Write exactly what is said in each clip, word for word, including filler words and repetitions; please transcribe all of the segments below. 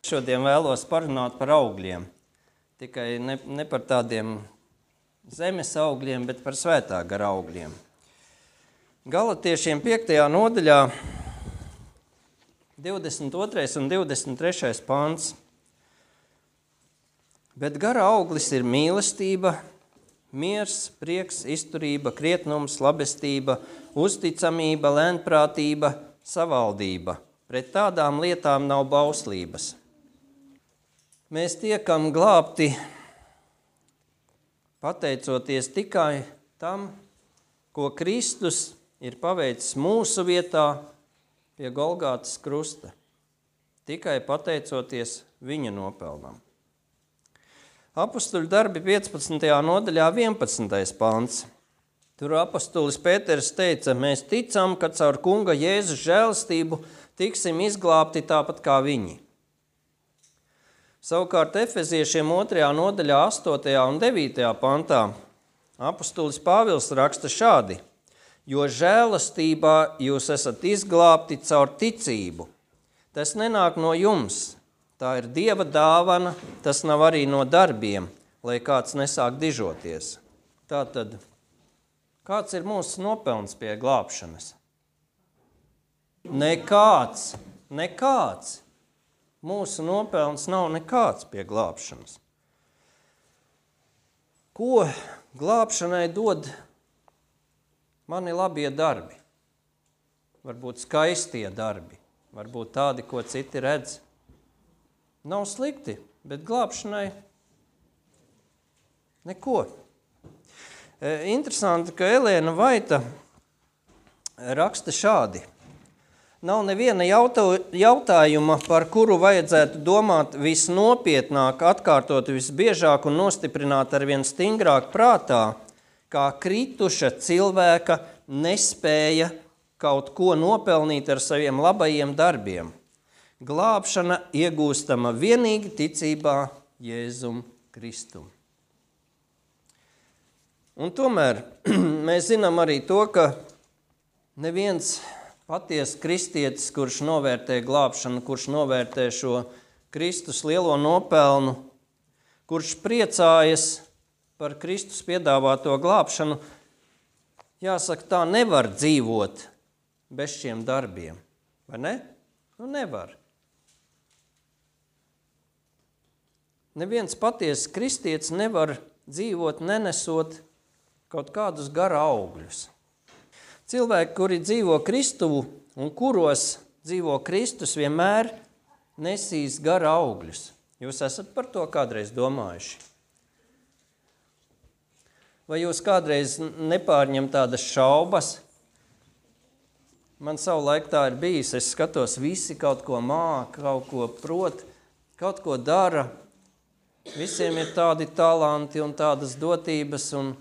Šodien vēlos parunāt par augļiem. Tikai ne, ne par tādiem zemes augļiem, bet par svētā gara augļiem. Galatiešiem piektajā nodaļā divdesmit otrais un divdesmit trešais pants. Bet gara auglis ir mīlestība, miers, prieks, izturība, krietnums, labestība, uzticamība, lēnprātība, savaldība. Pret tādām lietām nav bauslības. Mēs tiekam glābti pateicoties tikai tam, ko Kristus ir paveicis mūsu vietā pie Golgātas krusta. Tikai pateicoties viņa nopelnam. Apostuļu darbi piecpadsmitajā nodaļā vienpadsmitais pants. Tur apostulis Pēters teica, mēs ticam, ka caur kunga Jēzus žēlastību tiksim izglābti tāpat kā viņi. Savukārt Efeziešiem otrajā nodaļā astotajā un devītajā pantā apostulis Pāvils raksta šādi, jo žēlastībā jūs esat izglābti caur ticību. Tas nenāk no jums, tā ir Dieva dāvana, tas nav arī no darbiem, lai kāds nesāk dižoties. Tātad, kāds ir mūsu nopelns pie glābšanas? Nekāds, nekāds. Mūsu nopelns nav nekāds pie glābšanas. Ko glābšanai dod mani labie darbi? Varbūt skaistie darbi, varbūt tādi, ko citi redz. Nav slikti, bet glābšanai neko. Interesanti, ka Elēna Vaita raksta šādi. Nav neviena jautājuma, par kuru vajadzētu domāt visnopietnāk, atkārtot visbiežāk un nostiprināt arvien stingrāk prātā, kā krituša cilvēka nespēja kaut ko nopelnīt ar saviem labajiem darbiem. Glābšana iegūstama vienīgi ticībā Jēzum Kristum. Un tomēr mēs zinām arī to, ka neviens patiesi kristietis, kurš novērtē glābšanu, kurš novērtē šo Kristus lielo nopelnu, kurš priecājas par Kristus piedāvāto glābšanu, jāsaka, tā nevar dzīvot bez šiem darbiem, vai ne? Nu, nevar. Neviens patiesi kristietis nevar dzīvot, nenesot kaut kādus gara augļus. Cilvēki, kuri dzīvo Kristuvu un kuros dzīvo Kristus, vienmēr nesīs gara augļus. Jūs esat par to kādreiz domājuši? Vai jūs kādreiz nepārņem tādas šaubas? Man savulaik tā ir bijis, es skatos, visi kaut ko māk, kaut ko prot, kaut ko dara. Visiem ir tādi talanti un tādas dotības, un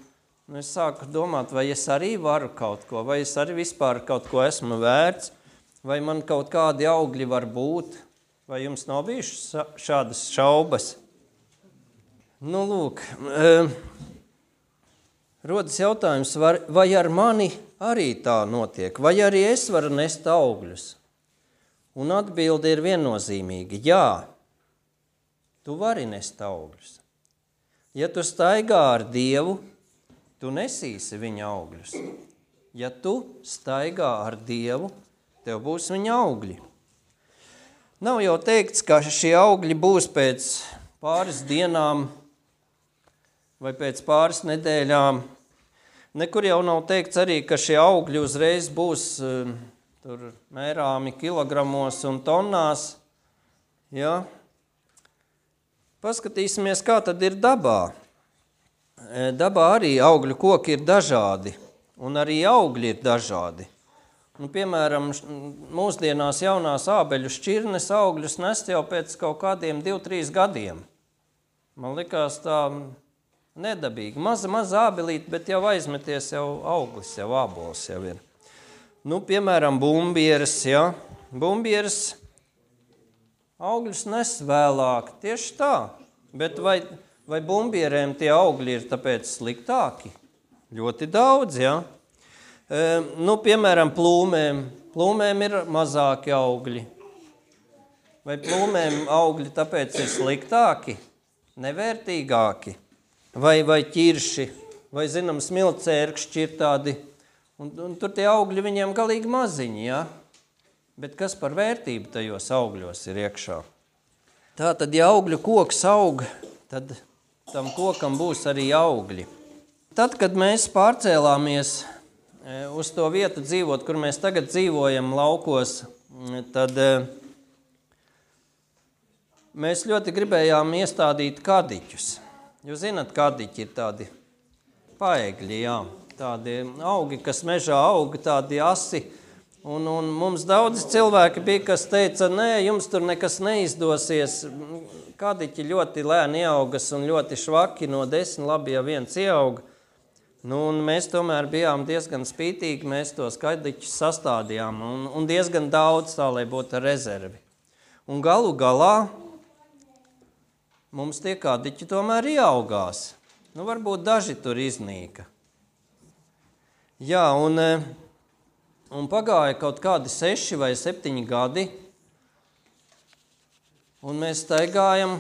nu, es sāku domāt, vai es arī varu kaut ko, vai es arī vispār kaut ko esmu vērts, vai man kaut kādi augļi var būt, vai jums nav bijušas šādas šaubas? Nu, lūk, e, rodas jautājums, vai ar mani arī tā notiek, vai arī es varu nest augļus? Un atbilde ir viennozīmīga, jā, tu vari nest augļus. Ja tu staigā ar Dievu, tu nesīsi viņa augļus. Ja tu staigā ar Dievu, tev būs viņa augļi. Nav jau teikts, ka šie augļi būs pēc pāris dienām vai pēc pāris nedēļām. Nekur jau nav teikts arī, ka šie augļi uzreiz būs uh, tur mērāmi kilogramos un tonnās. Ja? Paskatīsimies, kā tad ir dabā. Dabā arī augļu koki ir dažādi, un arī augļi ir dažādi. Nu, piemēram, mūsdienās jaunās ābeļu šķirnes augļus nest jau pēc kaut kādiem div, trīs gadiem. Man likās tā nedabīgi. Maza, maza ābelīte, bet jau aizmeties jau auglis, jau ābols jau ir. Nu, piemēram, bumbieres, ja. Bumbieres augļus nes vēlāk, tieši tā, bet vai... Vai bumbierēm tie augļi ir tāpēc sliktāki? Ļoti daudz, jā. E, nu, piemēram, plūmēm. Plūmēm ir mazāki augļi. Vai plūmēm augļi tāpēc ir sliktāki, nevērtīgāki? Vai, vai ķirši, vai, zinām, smilcērkšķi ir tādi, un, un tur tie augļi viņiem galīgi maziņi, ja? Bet kas par vērtību tajos augļos ir iekšā? Tātad, ja augļu koks aug, tad tam kokam būs arī augļi. Tad, kad mēs pārcēlāmies uz to vietu dzīvot, kur mēs tagad dzīvojam laukos, tad mēs ļoti gribējām iestādīt kadiķus. Jūs zināt, kadiķi ir tādi paegļi, jā, tādi augi, kas mežā auga, tādi asi. Un, un mums daudz cilvēki bija, kas teica, nē, jums tur nekas neizdosies. Kadiķi ļoti lēni ieaugas un ļoti švaki, no desmit labi, ja viens ieauga. Nu, un mēs tomēr bijām diezgan spītīgi, mēs tos kadiķus sastādījām un, un diezgan daudz tā, lai būtu rezervi. Un galu galā mums tie kadiķi tomēr ieaugās. Nu, varbūt daži tur iznīka. Jā, un, un pagāja kaut kādi seši vai septiņi gadi, un mēs staigājam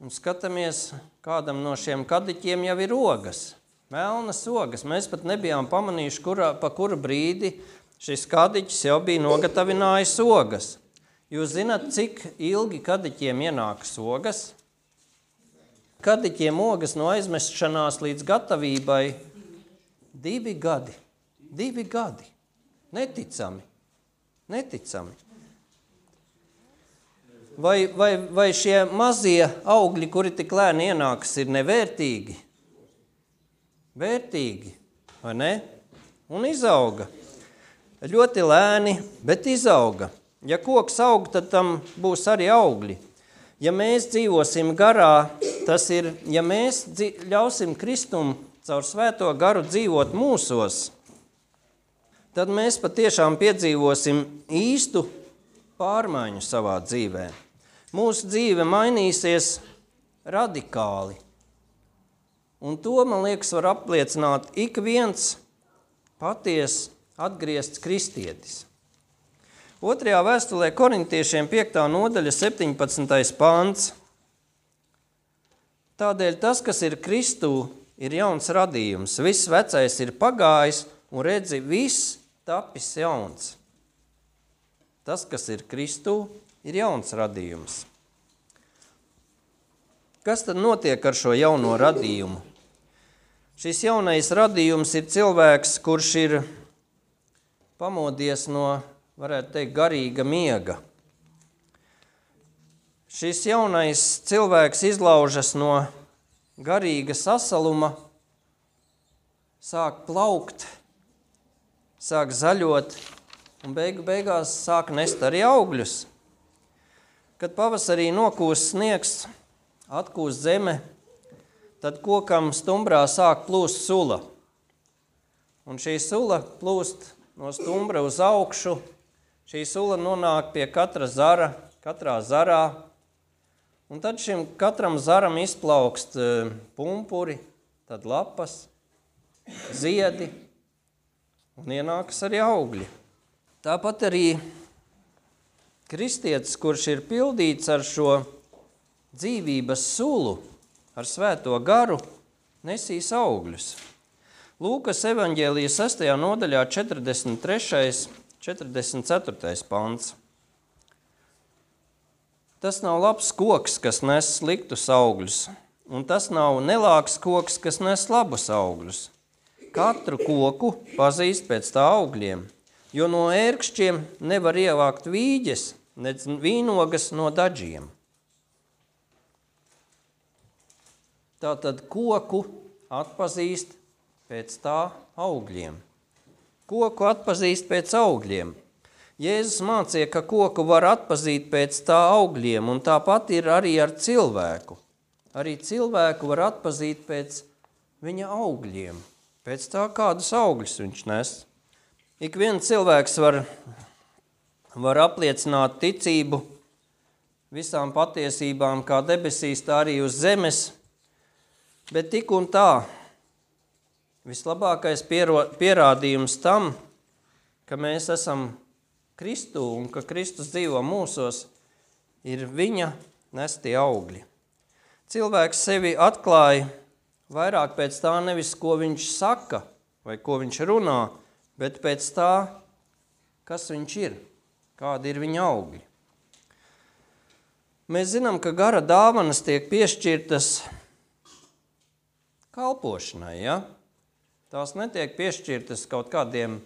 un skatāmies, kādam no šiem kadiķiem jau ir ogas. Melnas ogas. Mēs pat nebijām pamanījuši, kurā, pa kuru brīdi šis kadiķis jau bija nogatavinājis ogas. Jūs zināt, cik ilgi kadiķiem ienākas ogas? Kadiķiem ogas no aizmešanās līdz gatavībai divi gadi. Divi gadi. Neticami. Neticami. Vai, vai, vai šie mazie augļi, kuri tik lēni ienākas, ir nevērtīgi? Vērtīgi, vai ne? Un izauga. Ļoti lēni, bet izauga. Ja koks aug, tad tam būs arī augļi. Ja mēs dzīvosim garā, tas ir, ja mēs ļausim Kristum caur svēto garu dzīvot mūsos, tad mēs patiešām piedzīvosim īstu pārmaiņu savā dzīvē. Mūsu dzīve mainīsies radikāli. Un to, man liekas, var apliecināt ik viens paties atgriezts kristietis. Otrajā vēstulē korintiešiem piektā nodaļa septiņpadsmitais pants. Tādēļ tas, kas ir Kristū, ir jauns radījums. Viss vecais ir pagājis un redzi, viss tapis jauns. Tas, kas ir Kristū, ir jauns radījums. Kas tad notiek ar šo jauno radījumu? Šis jaunais radījums ir cilvēks, kurš ir pamodies no, varētu teikt, garīga miega. Šis jaunais cilvēks izlaužas no garīga sasaluma, sāk plaukt, sāk zaļot un beigu beigās sāk nest arī augļus. Kad pavasarī nokūst sniegs, atkūst zeme, tad kokam stumbrā sāk plūst sula. Un šī sula plūst no stumbra uz augšu. Šī sula nonāk pie katra zara, katrā zarā. Un tad šim katram zaram izplaukst pumpuri, tad lapas, ziedi un ienākas arī augļi. Tāpat arī kristietis, kurš ir pildīts ar šo dzīvības sulu, ar svēto garu, nesīs augļus. Lūkas evaņģēlija sestajā nodaļā četrdesmit trešais, četrdesmit ceturtais pants. Tas nav labs koks, kas nes sliktus augļus, un tas nav nelāks koks, kas nes labus augļus. Katru koku pazīst pēc tā augļiem, jo no ērkšķiem nevar ievākt vīģes, nec vīnogas no dažiem. Tātad koku atpazīst pēc tā augļiem. Koku atpazīst pēc augļiem. Jēzus mācīja, ka koku var atpazīt pēc tā augļiem, un tāpat ir arī ar cilvēku. Arī cilvēku var atpazīt pēc viņa augļiem, pēc tā, kādus augļus viņš nes. Ik viens cilvēks var, var apliecināt ticību visām patiesībām, kā debesīs, tā arī uz zemes, bet tik un tā, vislabākais pierādījums tam, ka mēs esam Kristū un ka Kristus dzīvo mūsos, ir viņa nestie augļi. Cilvēks sevi atklāja vairāk pēc tā nevis, ko viņš saka vai ko viņš runā, bet pēc tā, kas viņš ir, kādi ir viņa augļi. Mēs zinām, ka gara dāvanas tiek piešķirtas kalpošanai, ja? Tās netiek piešķirtas kaut kādiem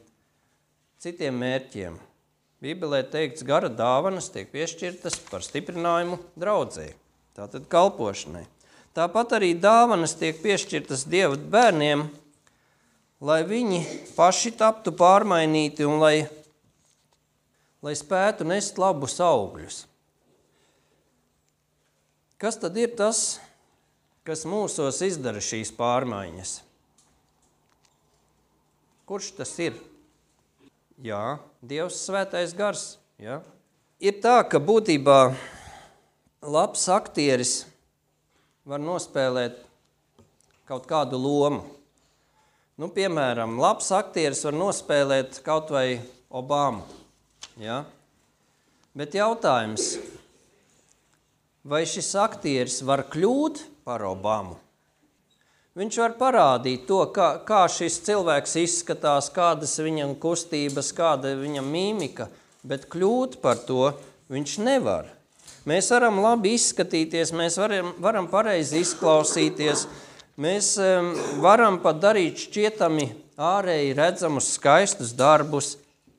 citiem mērķiem. Bībelē teikts, gara dāvanas tiek piešķirtas par stiprinājumu draudzei, tātad kalpošanai. Tāpat arī dāvanas tiek piešķirtas Dieva bērniem, lai viņi paši taptu pārmainīti un lai, lai spētu nest labus augļus. Kas tad ir tas, kas mūsos izdara šīs pārmaiņas? Kurš tas ir? Jā, Dievs svētais gars. Ja? Ir tā, ka būtībā labs aktieris var nospēlēt kaut kādu lomu. Nu, piemēram, labs aktieris var nospēlēt kaut vai Obamu. Ja? Bet jautājums, vai šis aktieris var kļūt par Obamu? Viņš var parādīt to, kā, kā šis cilvēks izskatās, kādas viņam kustības, kāda viņam mīmika, bet kļūt par to viņš nevar. Mēs varam labi izskatīties, mēs varam, varam pareizi izklausīties, mēs um, varam pat darīt šķietami ārēji redzamus skaistus darbus,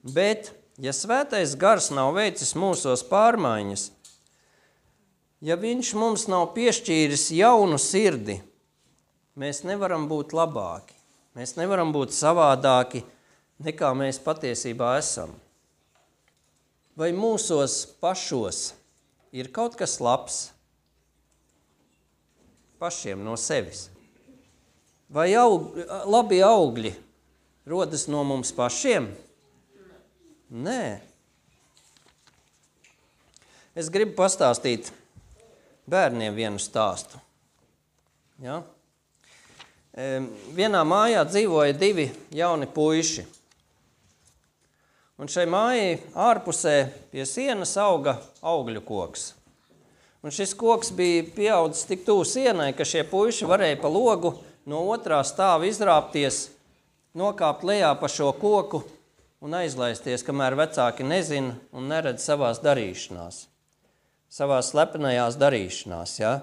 bet, ja svētais gars nav veicis mūsos pārmaiņas, ja viņš mums nav piešķīris jaunu sirdi, mēs nevaram būt labāki, mēs nevaram būt savādāki, nekā mēs patiesībā esam. Vai mūsos pašos ir kaut kas labs? Pašiem no sevis. Vai aug, labi augļi rodas no mums pašiem? Nē. Es gribu pastāstīt bērniem vienu stāstu. Ja? Vienā mājā dzīvoja divi jauni puiši. Un šai mājai ārpusē pie sienas auga augļu koks. Un šis koks bija pieaudzis tik tuvu sienai, ka šie puiši varēja pa logu no otrā stāva izrāpties, nokāpt lejā pa šo koku un aizlaisties, kamēr vecāki nezina un neredz savās darīšanās. Savās slepenajās darīšanās, ja?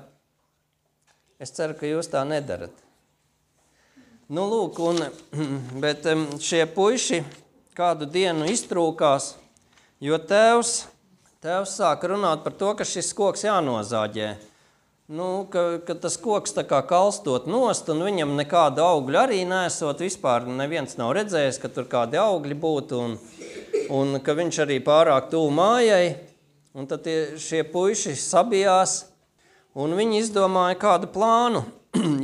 Es ceru, ka jūs tā nedarat. Nu, lūk, un, bet šie puiši kādu dienu iztrūkās, jo tēvs, tēvs sāka runāt par to, ka šis koks jānozāģē. Nu, ka, ka tas koks tā kā kalstot nost, un viņam nekāda augļa arī nesot, vispār neviens nav redzējis, ka tur kādi augļi būtu, un, un ka viņš arī pārāk tuvu mājai, un tad tie, šie puiši sabijās, un viņi izdomāja kādu plānu,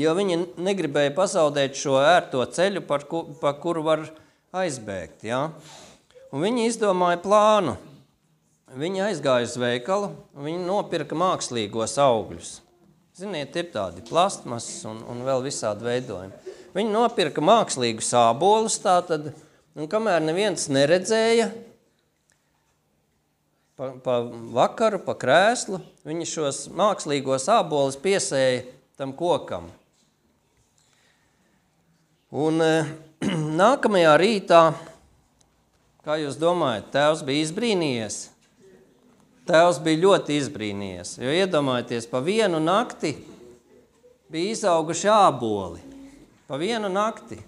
jo viņi negribēja pazaudēt šo ērto ceļu, par, ku, par kuru var aizbēgt. Ja? Un viņi izdomāja plānu. Viņi aizgāja uz veikalu, un viņi nopirka mākslīgos augļus. Ziniet, ir tādi plastmasas un, un vēl visādi veidojumi. Viņi nopirka mākslīgus ābolus tātad, un kamēr neviens neredzēja, pa, pa vakaru, pa krēslu, viņi šos mākslīgos ābolus piesēja tam kokam. Un e, nākamajā rītā, kā jūs domājat, tēvs bija izbrīnījies? Tēvs bija ļoti izbrīnījies, jo iedomājieties, pa vienu nakti bija izauguši āboli. Pa vienu nakti.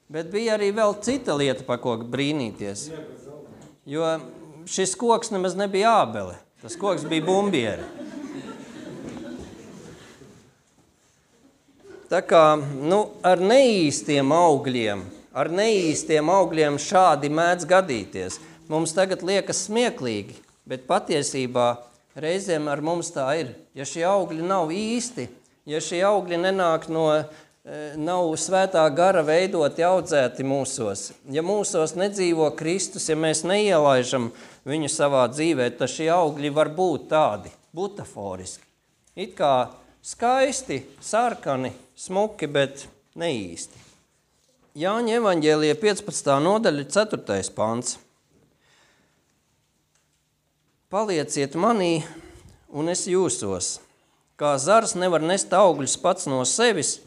Bet bija arī vēl cita lieta, pa ko brīnīties. Jo šis koks nemaz nebija ābele, tas koks bija bumbieri. Tā kā, nu, ar neīstiem augļiem, ar neīstiem augļiem šādi mēdz gadīties. Mums tagad liekas smieklīgi, bet patiesībā reizēm ar mums tā ir. Ja šie augļi nav īsti, ja šie augļi nenāk no, nav svētā gara veidoti, audzēti mūsos, ja mūsos nedzīvo Kristus, ja mēs neielaižam viņu savā dzīvē, tad šie augļi var būt tādi, butaforiski. It kā skaisti, sarkani, smuki, bet neīsti. Jāņa evaņģēlija piecpadsmitā nodaļa, ceturtais pants. palieciet manī, un es jūsos. Kā zars nevar nest augļus pats no sevis,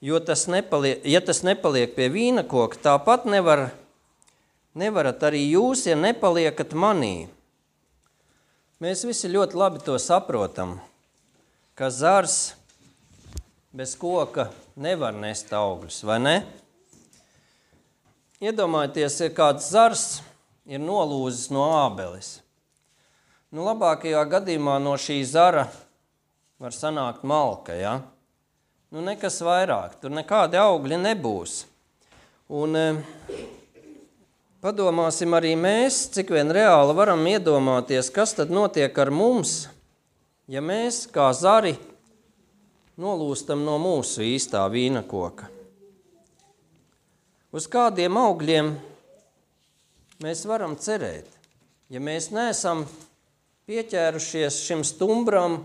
jo tas nepaliek, ja tas nepaliek pie vīna koka, tāpat nevar, nevarat arī jūs, ja nepaliekat manī. Mēs visi ļoti labi to saprotam, ka zars bez koka nevar nest augļus, vai ne? Iedomājieties, ja kāds zars ir nolūzis no ābeles. Nu, labākajā gadījumā no šī zara var sanākt malka, ja? Nu, nekas vairāk, tur nekādi augļi nebūs. Un e, padomāsim arī mēs, cik vien reāli varam iedomāties, kas tad notiek ar mums, ja mēs kā zari nolūstam no mūsu īstā vīna koka. Uz kādiem augļiem mēs varam cerēt, ja mēs neesam pieķērušies šim stumbram,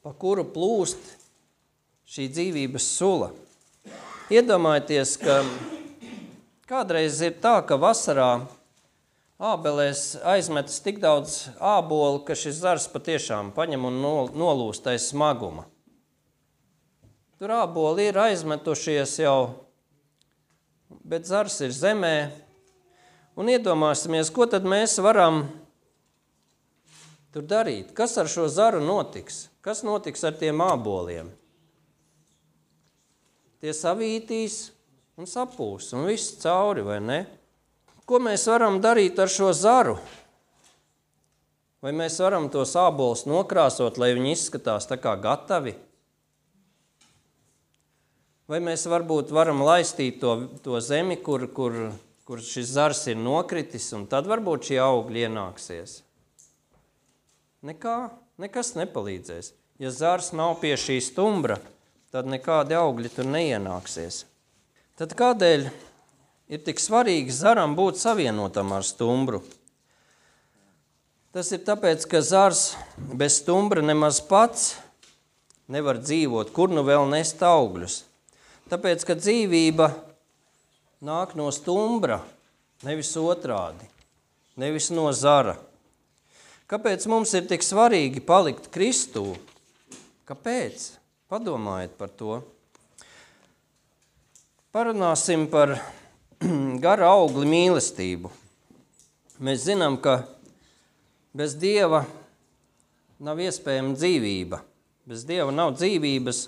pa kuru plūst šī dzīvības sula. Iedomājieties, ka kādreiz ir tā, ka vasarā ābelēs aizmetas tik daudz ābolu, ka šis zars patiešām paņem un nolūst aiz smaguma. Tur āboli ir aizmetušies jau, bet zars ir zemē. Un iedomāsimies, ko tad mēs varam tur darīt? Kas ar šo zaru notiks? Kas notiks ar tiem āboliem? Tie savītīs un sapūs, un viss cauri, vai ne? Ko mēs varam darīt ar šo zaru? Vai mēs varam tos ābolus nokrāsot, lai viņi izskatās tā kā gatavi? Vai mēs varbūt varam laistīt to, to zemi, kur, kur, kur šis zars ir nokritis, un tad varbūt šie augļi ienāksies? Nekā, nekas nepalīdzēs. Ja zars nav pie šī stumbra, tad nekādi augļi tur neienāksies. Tad kādēļ ir tik svarīgi zaram būt savienotam ar stumbru? Tas ir tāpēc, ka zars bez stumbra nemaz pats nevar dzīvot, kur nu vēl nest augļus. Tāpēc, ka dzīvība nāk no stumbra, nevis otrādi, nevis no zara. Kāpēc mums ir tik svarīgi palikt Kristū? Kāpēc? Padomājiet par to. Parunāsim par gara augli mīlestību. Mēs zinām, ka bez Dieva nav iespējama dzīvība. Bez Dieva nav dzīvības.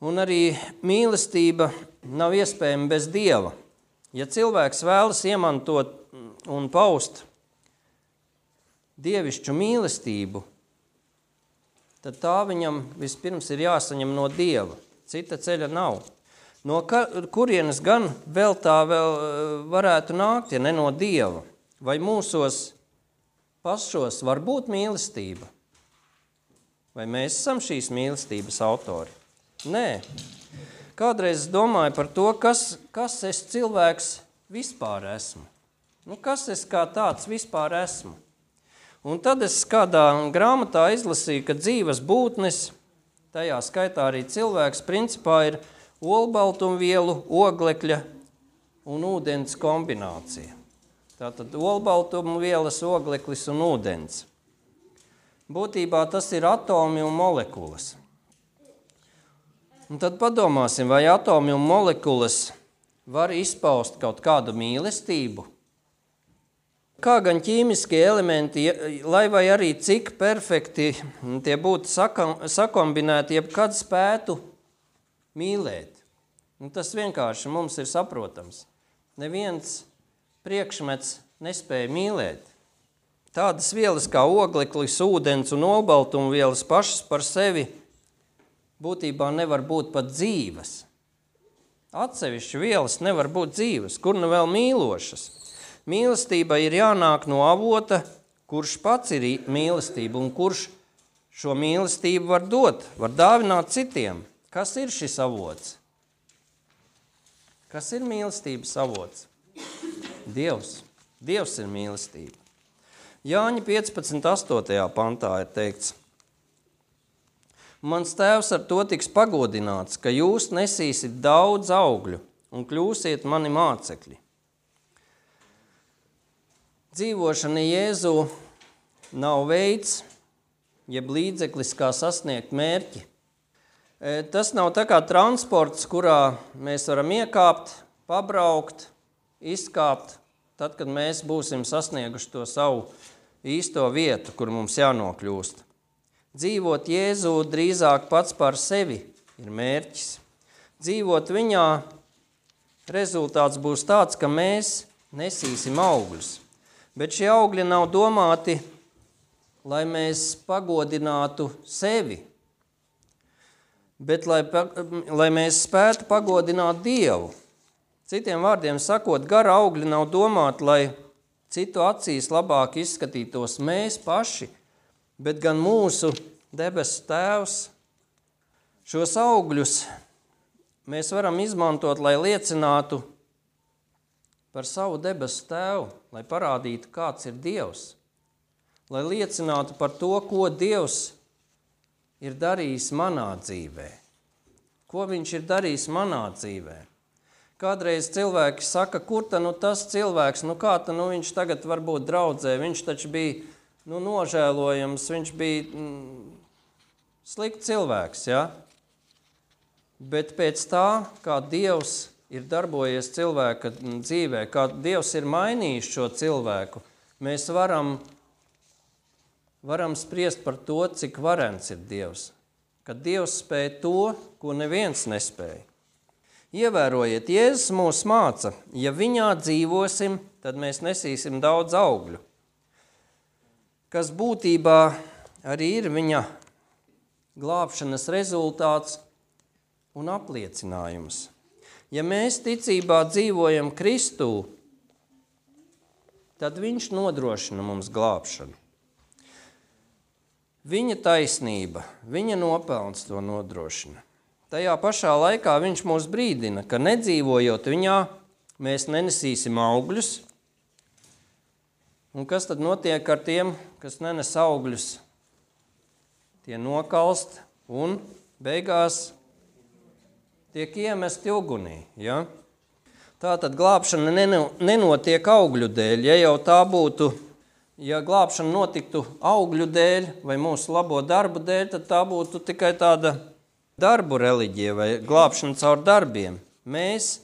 Un arī mīlestība nav iespējama bez Dieva. Ja cilvēks vēlas iemantot un paust dievišķu mīlestību, tad tā viņam vispirms ir jāsaņem no Dieva. Cita ceļa nav. No kurienes gan vēl tā vēl varētu nākt, ja ne no Dieva? Vai mūsos pašos var būt mīlestība? Vai mēs esam šīs mīlestības autori? Nē. Kādreiz es domāju par to, kas, kas es cilvēks vispār esmu. Nu, kas es kā tāds vispār esmu? Un tad es kādā grāmatā izlasīju, ka dzīves būtnes, tajā skaitā arī cilvēks, principā ir olbaltumvielu, oglekļa un ūdens kombinācija. Tātad olbaltumvielas, ogleklis un ūdens. Būtībā tas ir atomi un molekulas. Un tad padomāsim, vai atomi un molekulas var izpaust kaut kādu mīlestību? Kā gan ķīmiskie elementi, lai vai arī cik perfekti tie būtu sakombinēti, jebkad spētu mīlēt. Un tas vienkārši mums ir saprotams. Neviens priekšmets nespēja mīlēt. Tādas vielas kā ogleklis, ūdens un olbaltumvielas pašas par sevi būtībā nevar būt pat dzīves. Atsevišķi vielas nevar būt dzīves, kur nu vēl mīlošas. Mīlestība ir jānāk no avota, kurš pats ir mīlestība un kurš šo mīlestību var dot, var dāvināt citiem. Kas ir šis avots? Kas ir mīlestības avots? Dievs. Dievs ir mīlestība. Jāņa piecpadsmit astotajā pantā ir teikts: Mans tēvs ar to tiks pagodināts, ka jūs nesīsiet daudz augļu un kļūsiet mani mācekļi. Dzīvošana Jēzu nav veids, jeb līdzeklis, kā sasniegt mērķi. Tas nav tā kā transports, kurā mēs varam iekāpt, pabraukt, izkāpt, tad, kad mēs būsim sasnieguši to savu īsto vietu, kur mums jānokļūst. Dzīvot Jēzu drīzāk pats par sevi ir mērķis. Dzīvot viņā rezultāts būs tāds, ka mēs nesīsim augļus. Bet šie augļi nav domāti, lai mēs pagodinātu sevi, bet lai, lai mēs spētu pagodināt Dievu. Citiem vārdiem sakot, gara augļi nav domāti, lai citu acīs labāk izskatītos mēs paši, bet gan mūsu debesu Tēvs. Šos augļus mēs varam izmantot, lai liecinātu par savu debesu Tēvu, lai parādītu, kāds ir Dievs, lai liecinātu par to, ko Dievs ir darījis manā dzīvē, ko viņš ir darījis manā dzīvē. Kādreiz cilvēki saka, kur ta nu tas cilvēks, nu kā ta nu viņš tagad varbūt draudzē, viņš taču bija nu, nožēlojams, viņš bija mm, slikts cilvēks, ja? Bet pēc tā, kā Dievs ir darbojies cilvēka dzīvē, kā Dievs ir mainījis šo cilvēku, mēs varam, varam spriest par to, cik varens ir Dievs. Kad Dievs spēja to, ko neviens nespēja. Ievērojiet, Jēzus mūs māca, ja viņā dzīvosim, tad mēs nesīsim daudz augļu, kas būtībā arī ir viņa glābšanas rezultāts un apliecinājums. Ja mēs ticībā dzīvojam Kristū, tad viņš nodrošina mums glābšanu. Viņa taisnība, viņa nopelns to nodrošina. Tajā pašā laikā viņš mūs brīdina, ka nedzīvojot viņā, mēs nenesīsim augļus. Un kas tad notiek ar tiem, kas nenes augļus? Tie nokalst un beigās tiek iemesti ugunī. Ja? Tātad glābšana nenotiek augļu dēļ. Ja jau tā būtu, ja glābšana notiktu augļu dēļ vai mūsu labo darbu dēļ, tad tā būtu tikai tāda darbu reliģija vai glābšana caur darbiem. Mēs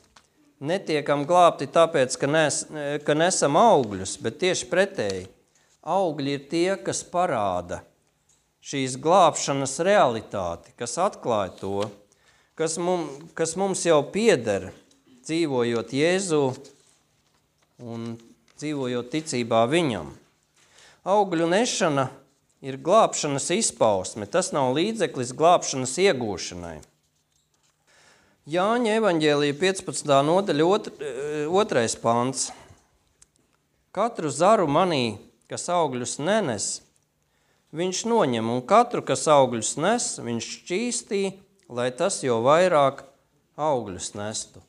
netiekam glābti tāpēc, ka, nes, ka nesam augļus, bet tieši pretēji. Augļi ir tie, kas parāda šīs glābšanas realitāti, kas atklāja to, kas, mum, kas mums jau pieder, dzīvojot Jēzu un dzīvojot ticībā viņam. Augļu nešana ir glābšanas izpausme, tas nav līdzeklis glābšanas iegūšanai. Jāņa evaņģēlija piecpadsmitā nodaļa otrais pants. Katru zaru manī, kas augļus nenes, viņš noņem, un katru, kas augļus nes, viņš šķīstī, lai tas jau vairāk augļus nestu.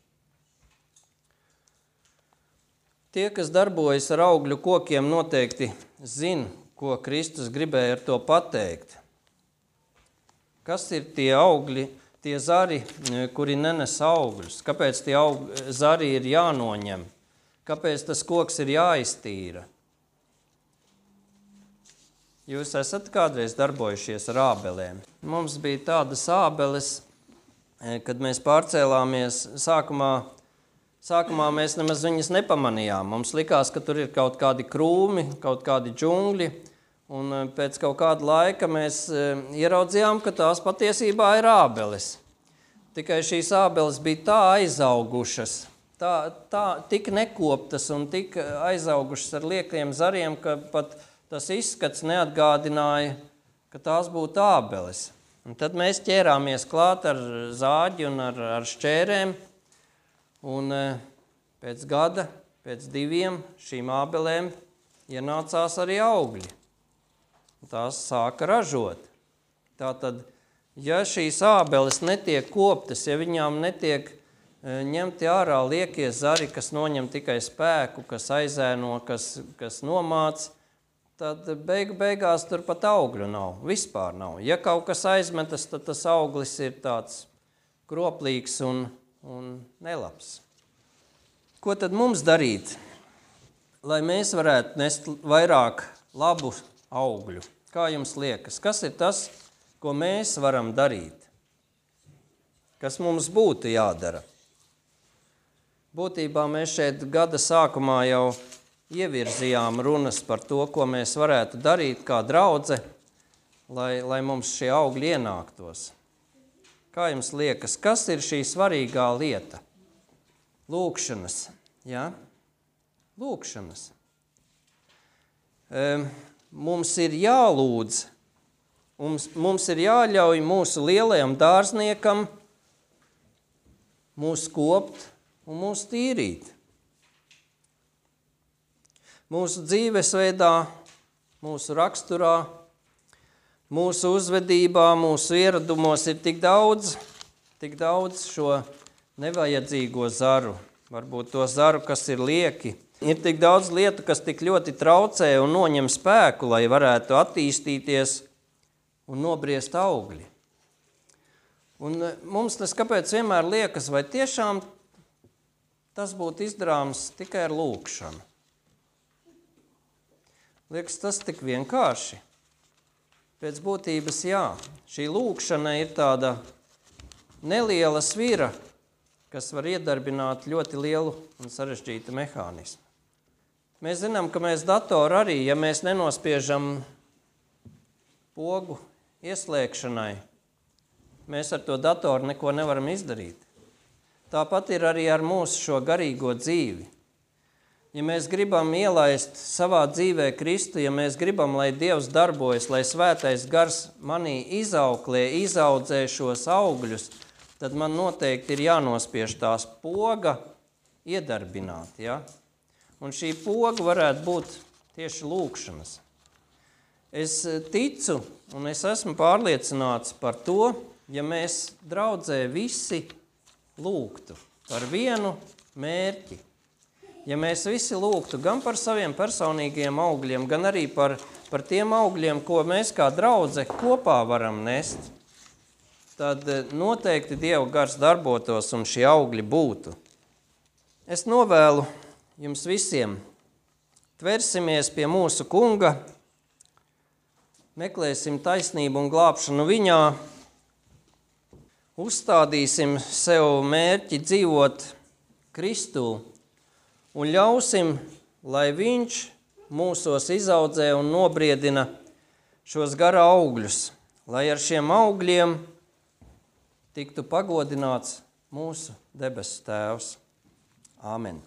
Tie, kas darbojas ar augļu kokiem, noteikti zina, ko Kristus gribēja ar to pateikt. Kas ir tie augļi, tie zari, kuri nenes augļus? Kāpēc tie augļi, zari ir jānoņem? Kāpēc tas koks ir jāiztīra? Jūs esat kādreiz darbojušies ar ābelēm. Mums bija tādas ābeles, kad mēs pārcēlāmies sākumā, Sākumā mēs nemaz viņas nepamanījām. Mums likās, ka tur ir kaut kādi krūmi, kaut kādi džungļi, un pēc kaut kāda laika mēs ieraudzījām, ka tās patiesībā ir ābeles. Tikai šīs ābeles bija tā aizaugušas, tā, tā tik nekoptas un tik aizaugušas ar liekliem zariem, ka pat tas izskats neatgādināja, ka tās būtu ābeles. Un tad mēs ķērāmies klāt ar zāģi un ar, ar šķērēm, un pēc gada, pēc diviem šīm ābelēm ienācās arī augļi. Tās sāka ražot. Tātad, ja šīs ābeles netiek koptas, ja viņām netiek ņemti ārā liekie zari, kas noņem tikai spēku, kas aizēno, kas, kas nomāc, tad beigu beigās tur pat augļu nav, vispār nav. Ja kaut kas aizmetas, tad tas auglis ir tāds kroplīgs un un nelabs. Ko tad mums darīt, lai mēs varētu nest vairāk labu augļu. Kā jums liekas, kas ir tas, ko mēs varam darīt? Kas mums būtu jādara? Būtībā mēs šeit gada sākumā jau ievirzījām runas par to, ko mēs varētu darīt kā draudze, lai, lai mums šie augļi ienāktos. Kā jums liekas, kas ir šī svarīgā lieta? Lūkšanas, jā? Lūkšanas. Mums ir jālūdz, mums, mums ir jāļauj mūsu lielajam dārzniekam mūs kopt un mūs tīrīt. Mūsu dzīvesveidā, mūsu raksturā, mūsu uzvedībā, mūsu ieradumos ir tik daudz, tik daudz šo nevajadzīgo zaru, varbūt to zaru, kas ir lieki. Ir tik daudz lietu, kas tik ļoti traucē un noņem spēku, lai varētu attīstīties un nobriest augļi. Un mums tas kāpēc vienmēr liekas, vai tiešām tas būtu izdarāms tikai ar lūkšanu? Liekas, tas tik vienkārši. Pēc būtības jā, šī lūkšana ir tāda neliela svira, kas var iedarbināt ļoti lielu un sarežģītu mehānismu. Mēs zinām, ka mēs datoru arī, ja mēs nenospiežam pogu ieslēgšanai, mēs ar to datoru neko nevaram izdarīt. Tāpat ir arī ar mūsu šo garīgo dzīvi. Ja mēs gribam ielaist savā dzīvē Kristu, ja mēs gribam, lai Dievs darbojas, lai svētais gars manī izauklē, izaudzē šos augļus, tad man noteikti ir jānospiež tās poga iedarbināt, ja? Un šī poga varētu būt tieši lūkšanas. Es ticu un es esmu pārliecināts par to, ja mēs draudzē visi lūgtu par vienu mērķi. Ja mēs visi lūgtu gan par saviem personīgiem augļiem, gan arī par, par tiem augļiem, ko mēs kā draudze kopā varam nest, tad noteikti Dieva gars darbotos un šie augļi būtu. Es novēlu jums visiem, tversimies pie mūsu kunga, meklēsim taisnību un glābšanu viņā, uzstādīsim sev mērķi dzīvot Kristū un ļausim, lai viņš mūsos izaudzē un nobriedina šos gara augļus, lai ar šiem augļiem tiktu pagodināts mūsu debesu Tēvs. Āmen.